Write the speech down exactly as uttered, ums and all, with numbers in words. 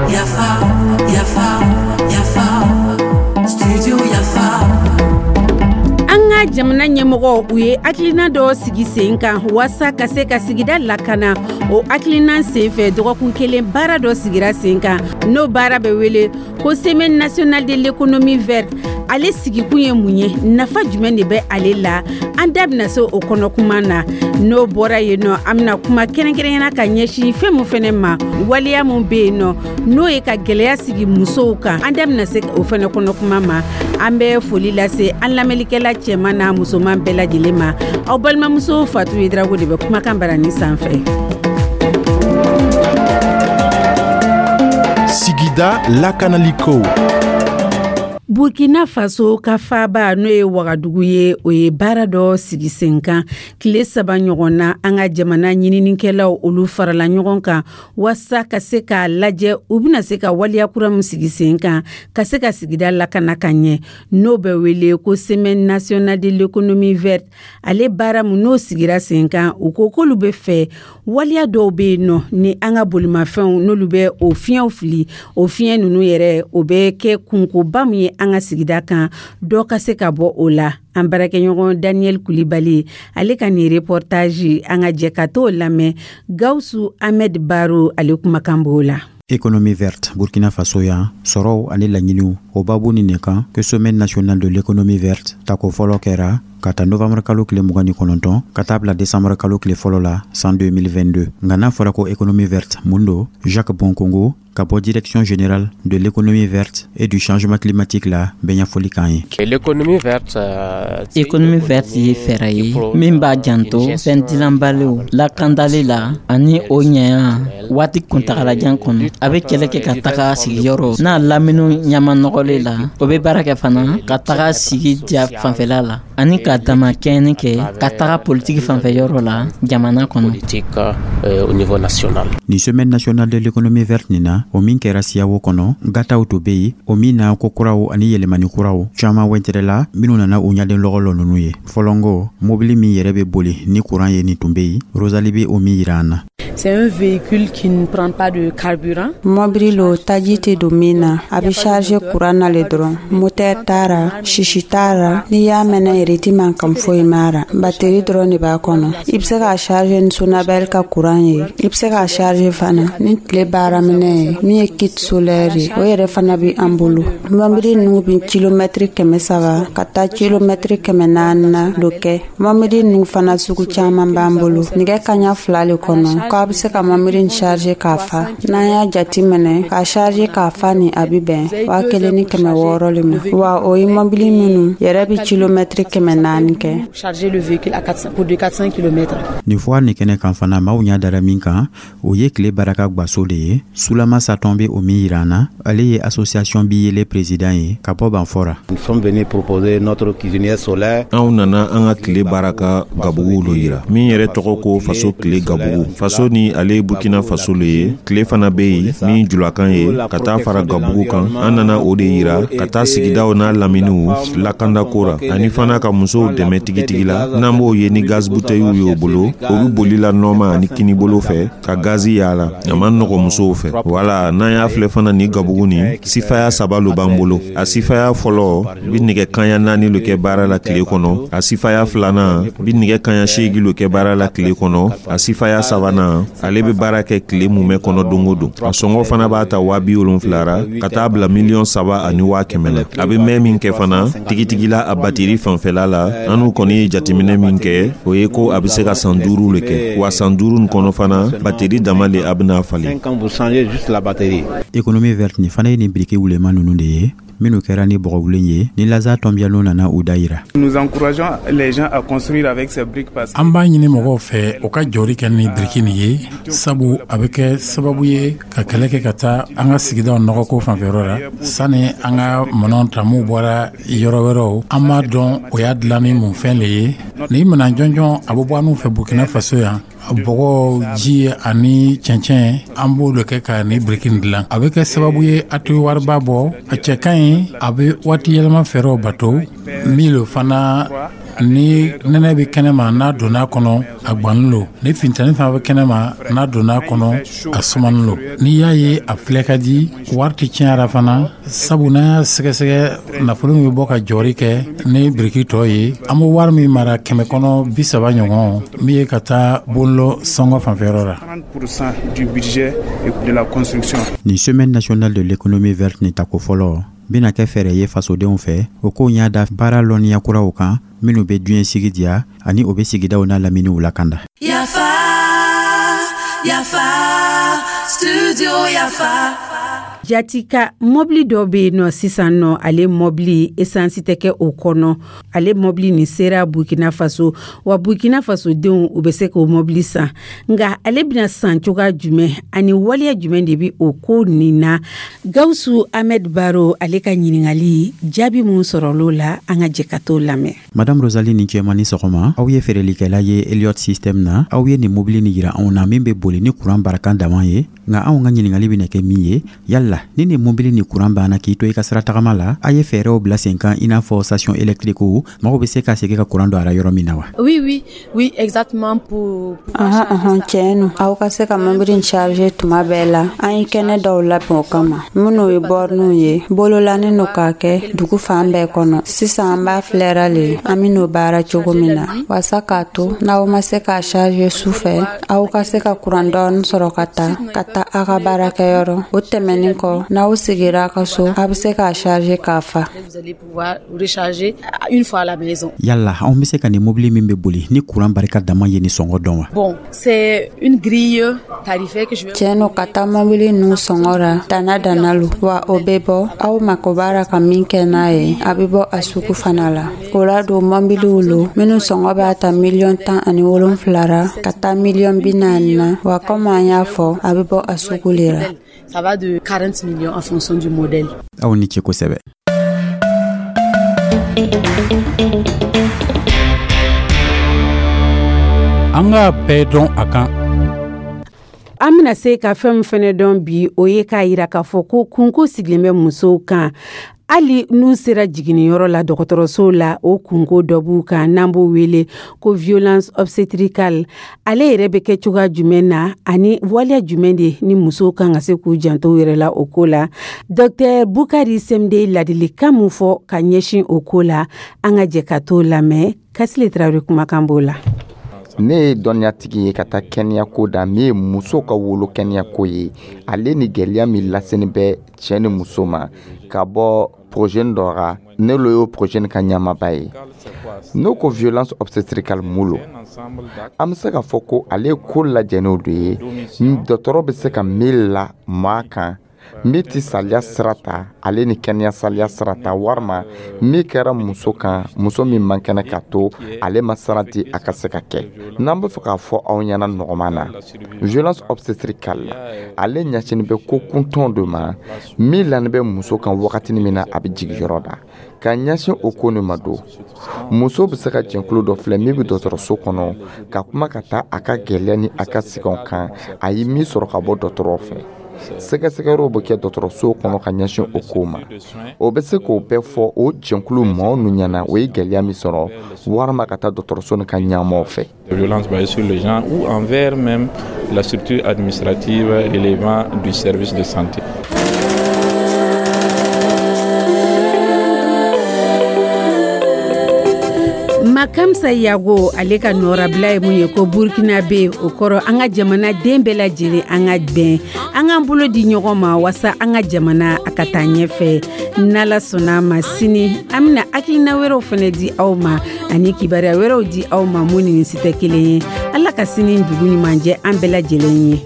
Yafa, Yafa, Yafa, Studio Yafa. An ka jamana ɲɛmɔgɔ, u ye hakilina dɔ sigi sen kan waasa ka se ka sigida lakana. O hakilina senfɛ, dɔgɔkun kelen baara dɔ sigira sen kan, n'o baara bɛ wele ko Semaine nationale de l'économie verte. Ale sigikun ye mun ye? Nafa jumɛn de bɛ ale la? An da bɛna se o kɔnɔ kuma na. N'o bɔra yen nɔ, an bɛna kuma kɛrɛnkɛrɛnyana ka ɲɛsin fɛn mun fɛnɛ ma, waleya mun bɛ yen nɔ, n'o ye ka gwɛlɛya sigi musow kan, an da bɛna se o fɛnɛ kɔnɔ kuma ma. An bɛ foli lase an lamɛnlikɛla cɛman n'a musoman bɛɛ lajɛlen ma. Aw balimamuso Fatu Yedrago de bɛ kumakan barani sanfɛ. Sigida lakanaliko. Burkina Faso ka faaba, n'o ye Wagadugu ye, o ye baara dɔ sigi sen kan tile saba ɲɔgɔn na. An ka jamana ɲininikɛlaw, olu farala ɲɔgɔn kan waasa ka se k'a lajɛ u bɛna se ka waleya kura min sigi sen kan ka se ka sigida lakana ka ɲɛ, n'o bɛ wele ko Semaine nationale de l'économie verte. Ale baara min n'o sigira sen kan, u ko k'olu bɛ fɛ waleya dɔw bɛ yen nɔ ni an ka bolimafɛnw, n'olu bɛ o fiɲɛw fili, o fiɲɛ ninnu yɛrɛ, o bɛ kɛ kunkoba min ye an ka sigida kan, dɔ ka se ka bɔ o la. An baarakɛɲɔgɔn Daniel Kulibali, ale ka nin reportage, an ka jɛ ka t'o lamɛn. Gawusu Ahmed Baro, ale kumakan b'o la. Économie verte Burkina Faso yan, sɔrɔw ani laɲiniw, o babu nin kan que Semaine nationale de l'économie verte tako fɔlɔ kɛra ka ta novembre kalo tile mugan ni kɔnɔntɔn ka taa bila décembre kalo tile fɔlɔ la san deux mille vingt-deux. Nka n'a fɔra ko économie verte, mun do? Jacques Bonkongo ka bɔ Direction générale de l'économie verte et du changement climatique la bɛ ɲɛfɔli k'an ye. L'économie verte, euh, Économie verte ye fɛɛrɛ ye min b'a janto fɛn dilanbaliw lakandali la ani o ɲɛya waati kuntagalajan kɔnɔ. A bɛ kɛlɛ kɛ ka taga sigiyɔrɔ n'a laminiw ɲama nɔgɔlen la. O bɛ baara kɛ fana ka taga sigi diya fanfɛla la ani ka dama kɛɲɛni kɛ ka taga politiki fanfɛ yɔrɔ la jamana kɔnɔ. Politique euh, au niveau national. Ni Semaine nationale de l'économie verte nin na, o min kɛra Siyawo kɔnɔ, gataw to be yen, o min na ko kuraw ani yɛlɛmani kuraw caaman wɛntɛrɛla minw nana u ɲaden lɔgɔ lɔ nunu ye. Fɔlɔngo mobili min yɛrɛ be boli ni kuran ye, nin tun be yen. Rosali be o min yira an na. C'est un véhicule qui ne prend pas de carburant. Mɔbili lo, taji tɛ don min na, a bɛ charge kuran na le dɔrɔn. Moteur t'a ra, sisi t'a ra, n'i y'a mɛnɛ yɛrɛ, i ti mankan foyi m'a ra. Bateri dɔrɔn de b'a kɔnɔ. I bɛ se k'a charge ni Sonabel ka kuran ye, i bɛ se k'a charge fana ni tile baaraminɛ ye, min ye kit solaire ye, o yɛrɛ fana bɛ an bolo. Mɔbili ninnu bɛ kilomɛtiri kɛmɛ saba ka taa kilomɛtiri kɛmɛ naani na lo kɛ. Mɔbili ninnu fana sugu caman b'an bolo. Nɛgɛ kaɲa fila le kɔnɔ k'a bɛ se ka mɔbili nin charge k'a fa. N'an y'a jati minɛ k'a charge k'a fa ni, a bɛ bɛn waa kelen ni kɛmɛ wɔɔrɔ le ma wa. O ye mɔbili minnu yɛrɛ bɛ kilomɛtiri kɛmɛ naani kɛ. Charger le véhicule à quatre cents, pour de quatre cents kilomètres. Nin foire nin kɛnɛ kan fana, maaw ɲa dara min kan, o ye tile baraka gwaso de ye. Sulama Satɔn be o min yira an na, ale ye association bi yele président ye ka bɔ Banfɔra. Nous sommes venus proposer notre cuisinière solaire. Anw nana an ka tile baara ka gabuguw lo yira, min yɛrɛ tɔgɔ ko Faso tile gabugu. Faso ni ale ye Burkina Faso le ye. Tile fana be yen min julakan ye ka taa fara gabugu kan. An nana o de yira ka taa sigidaw n'a laminiw lakandako ra, ani fana ka musow dɛmɛ tigitigi la. N'an b'o ye ni gaz butɛyiw y'o bolo, o be boli la nɔɔma ani kinibolo fɛ ka gazi yaala, a man nɔgɔ musow fɛ. Wala n'an y'a filɛ fana, ni gabugu nin sifaya saba lo b'an bolo. A sifaya fɔlɔ bi nɛgɛ kaɲa naani lo kɛ baara la tile kɔnɔ, a sifaya filanan bi nɛgɛ kaɲa seegi lo kɛ baara la tile kɔnɔ, a sifaya sabanan, ale be baara kɛ tile mumɛ kɔnɔ don o don. A sɔngɔ fana b'a ta waa bi wolonfila ra ka taa bila miliyɔn saba ani waa kɛmɛ la. A be mɛn min kɛ fana tigitigi la, a batiri fanfɛla la, an n'u kɔni ye jateminɛ min kɛ, o ye ko a be se ka san duuru le kɛ. Wa san duuru nin kɔnɔ fana, bateri dama le a bena falen. Quand vous changez juste la batterie. Économie verte nin fana ye nin biriki wuleman nunu de ye, minnu kɛra ni bɔgɔwulen ye, ni Laza Tɔnbiyalo nana u da yira. Nous encourageons les gens à construire avec ces briques parce An b'a ɲini mɔgɔw fɛ u ka jɔri kɛ ni biriki nin ye, sabu a bɛ kɛ sababu ye ka kɛlɛ kɛ ka taa an ka sigidaw nɔgɔko fanfɛyɔrɔ la, sani an ka minɛnw ta m'u bɔra yɔrɔ wɛrɛw, an b'a dɔn o y'a dilan ni mun fɛn le ye. Nin minɛn jɔnjɔn, a bɛ bɔ an fɛ Burkina Faso yan. Bɔgɔ, ji ani cɛncɛn, an b'o de kɛ ka ni biriki nin dilan. A bɛ kɛ sababu ye a tɛ wariba bɔ, a cɛ ka ɲi, a bɛ waati yɛlɛma fɛɛrɛw bato min lo fana. Ni nɛnɛ bɛ kɛnɛma, n'a donna a kɔnɔ, a gwannen lo. Ni funteni fana bɛ kɛnɛma, n'a donna a kɔnɔ, a sumanen lo. N'i y'a ye a filɛ ka di, wari tɛ tiɲɛ a fana, sabu n'an y'a sɛgɛsɛgɛ, nafolo min bɛ bɔ ka jɔri kɛ ni biriki tɔ ye, an bɛ wari min mara, kɛmɛ kɔnɔ bi saba ɲɔgɔn, min ye ka taa bonlɔ sɔngɔ fanfɛyɔrɔ la. Du budget de la construction. Nin Semaine nationale de l'économie verte nin tako fɔlɔ bɛna kɛ fɛɛrɛ ye fasodenw fɛ, o ko y'a da baara lɔnniya kuraw kan minnu bɛ diɲɛ sigi diya ani o bɛ sigidaw n'a laminiw lakanda. Yafa, Yafa, Studio Yafa. Jatika mɔbili dɔ bɛ yen nɔ sisan nɔ, ale mɔbili esansi tɛ kɛ o kɔnɔ. Ale mɔbili nin sera Burkina Faso wa, Burkina Faso denw u bɛ se k'o mɔbili san. Nka ale bɛna san cogoya jumɛn ani waleya jumɛn de bɛ o ko nin na? Gawusu Ahmed Baro, ale ka ɲininkali jaabi mun sɔrɔl'o la, an ka jɛ ka t'o lamɛn. Madame Rosalie, ni cɛma ni sɔgɔma. Aw ye feerelikɛla ye Eliot System na. Aw ye nin mobili nin yira anw na min bɛ boli ni kuran barakan dama ye. Nka anw ka ɲininkali bɛna kɛ min ye, yala ni nin mobili ni kuran banna k'i to i ka sira tagama la, a ye fɛɛrɛw bila sen kan, i n'a fɔ station électrique, mɔgɔw bɛ se ka segin ka kuran don a la yɔrɔ min na wa? Oui, oui, oui, exactement pour. Ahan, ahan, tiɲɛ no. Aw ka se ka mobili in charger tuma bɛɛ la, an ye kɛnɛ dɔw labɛn o kama, minnu ye bornew ye, bololanin no k'a kɛ dugu fan bɛɛ kɔnɔ. Sisan an b'a filɛra le an ben'o baara cogo min na, wasa k'a to n'aw ma se k'a charger su fɛ, aw ka se ka kuran dɔɔni sɔrɔ ka ta ka taa a ka baarakɛyɔrɔ. O tɛmɛnin kɔ, n'aw sigira a ka so, a be se k'a charger k'a fa. Vous allez pouvoir recharger une fois à la maison. Yala anw be se ka nin mobili min be boli ni kuran barika dama ye nin sɔngɔ dɔn wa? Bon, c'est une grille tarifaire que je vais. Tiɲɛ no, ka taa mobili ninnu sɔngɔ ra dana dana lo wa, o bɛ bɔ aw mako b'a ka min kɛ n'a ye, a bɛ bɔ a sugu fana la. O la don, mɔbiliw lo minnu sɔngɔ b'a ta miliyɔn tan ani wolonfila ra ka taa miliyɔn bi naani na wa. Komi an y'a fɔ, a bɛ bɔ a sugu le ra. Ça va de quarante millions en fonction du modèle. Aw ni ce kosɛbɛ. An k'a bɛɛ dɔn a kan. An bɛna se ka fɛn min fɛnɛ dɔn bi, o ye k'a yira k'a fɔ ko kunko sigilen bɛ musow kan, hali n'u sera jiginniyɔrɔ la dɔgɔtɔrɔso la, o kunko dɔ b'u kan n'an b'o wele ko violence obstétricale. Ale yɛrɛ bɛ kɛ cogoya jumɛn na ani waleya jumɛn de ni musow kan ka se k'u janto u yɛrɛ la o ko la? Docteur Bukari Semde ladilikan mun fɔ ka ɲɛsin o ko la, an ka jɛ ka t'o lamɛn. Kasile Tarawele kumakan b'o la. Ne ye dɔnniyatigi ye ka taa kɛnɛyako da min ye muso ka wolo kɛnɛyako ye, ale ni gɛlɛya min laseni bɛ cɛɛ ni muso ma ka bɔ projet dɔ ra. Ne lo y'o projet ka ɲamaba ye. N'o ko violence obstétricale mun lo, an bɛ se k'a fɔ ko ale ye ko lajɛnenw de ye, dɔgɔtɔrɔ bɛ se ka min la maa kan min tɛ saliya sira ta, ale ni kɛnɛya saliya sira ta, walima min kɛra muso kan, muso min man kɛnɛ ka to ale ma sira di a ka se ka kɛ. N'an bɛ fɛ k'a fɔ aw ɲɛna nɔgɔman na, violence obstétricale ale ɲɛsinnen bɛ ko kuntɔn dɔ ma min lani bɛ muso kan wagatinin min na a bɛ jigin yɔrɔ la. Ka ɲɛsin o ko nin ma don, muso bɛ se ka jɛnkulu dɔ filɛ min bɛ dɔgɔtɔrɔso kɔnɔ ka kuma ka taa a ka gɛlɛya ni a ka sɛgɛnw kan, a ye min sɔrɔ ka bɔ dɔgɔtɔrɔ fɛ. Sɛgɛsɛgɛyɔrɔw bɛ kɛ dɔgɔtɔrɔso kɔnɔ ka ɲɛsin o ko ma. O bɛ se k'o bɛɛ fɔ o jɛnkulu maaw nu ɲɛna, o ye gɛlɛya min sɔrɔ, walima ka taa dɔgɔtɔrɔso nin ka ɲɛmaaw fɛ. Violence basée sur le genre ou envers même la structure administrative relevant du service de santé. Makamsa Yago, ale ka nɔrabila ye mun ye ko Burkina be, o kɔrɔ an ka jamana den bɛɛ lajɛlen, an ka bɛn, an k'an bolo di ɲɔgɔn ma wasa an ka jamana a ka taa ɲɛfɛ. N'Ala sɔnna a ma, sini an bɛna hakilina wɛrɛw fɛnɛ di aw ma ani kibaruya wɛrɛw di aw ma mun ni nin si tɛ kelen ye. Ala ka sini dugu ɲuman jɛ an bɛɛ lajɛlen ye.